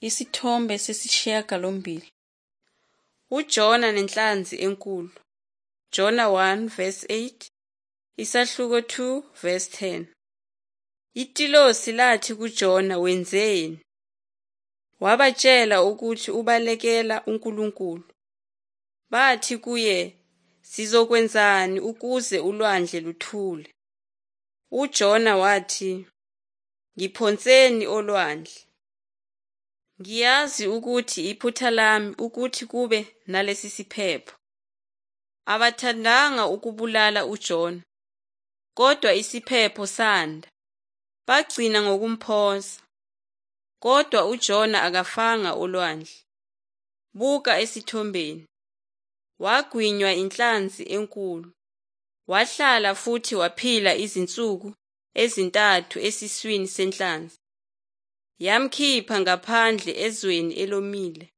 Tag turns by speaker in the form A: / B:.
A: Isithombe 8. UJona nenhlanzi enkulu. Jona 1 verse 8, isahluko 2 verse 10. Itilosi lathi kuJona, "Wenzeni?" Wabatshela ukuthi ubalekela uNkulunkulu. Bathi kuye, "Sizokwenzani ukuze ulwandle luthule?" UJona wathi, "Ngiphonseni olwandle. Ngiyazi ukuthi iphutha lami ukuthi kube nalesi siphepho." Abathandanga ukubulala uJona, kodwa isiphepho sanda, bagcina ngokumphonsa. Kodwa uJona akafanga olwandle. Buka esithombeni. Wagwinywa inhlanzi enkulu. Wahlala futhi waphila izinsuku ezi-3 esiswini senhlanzi. Yamkhipha ngaphandle ezweni elomile.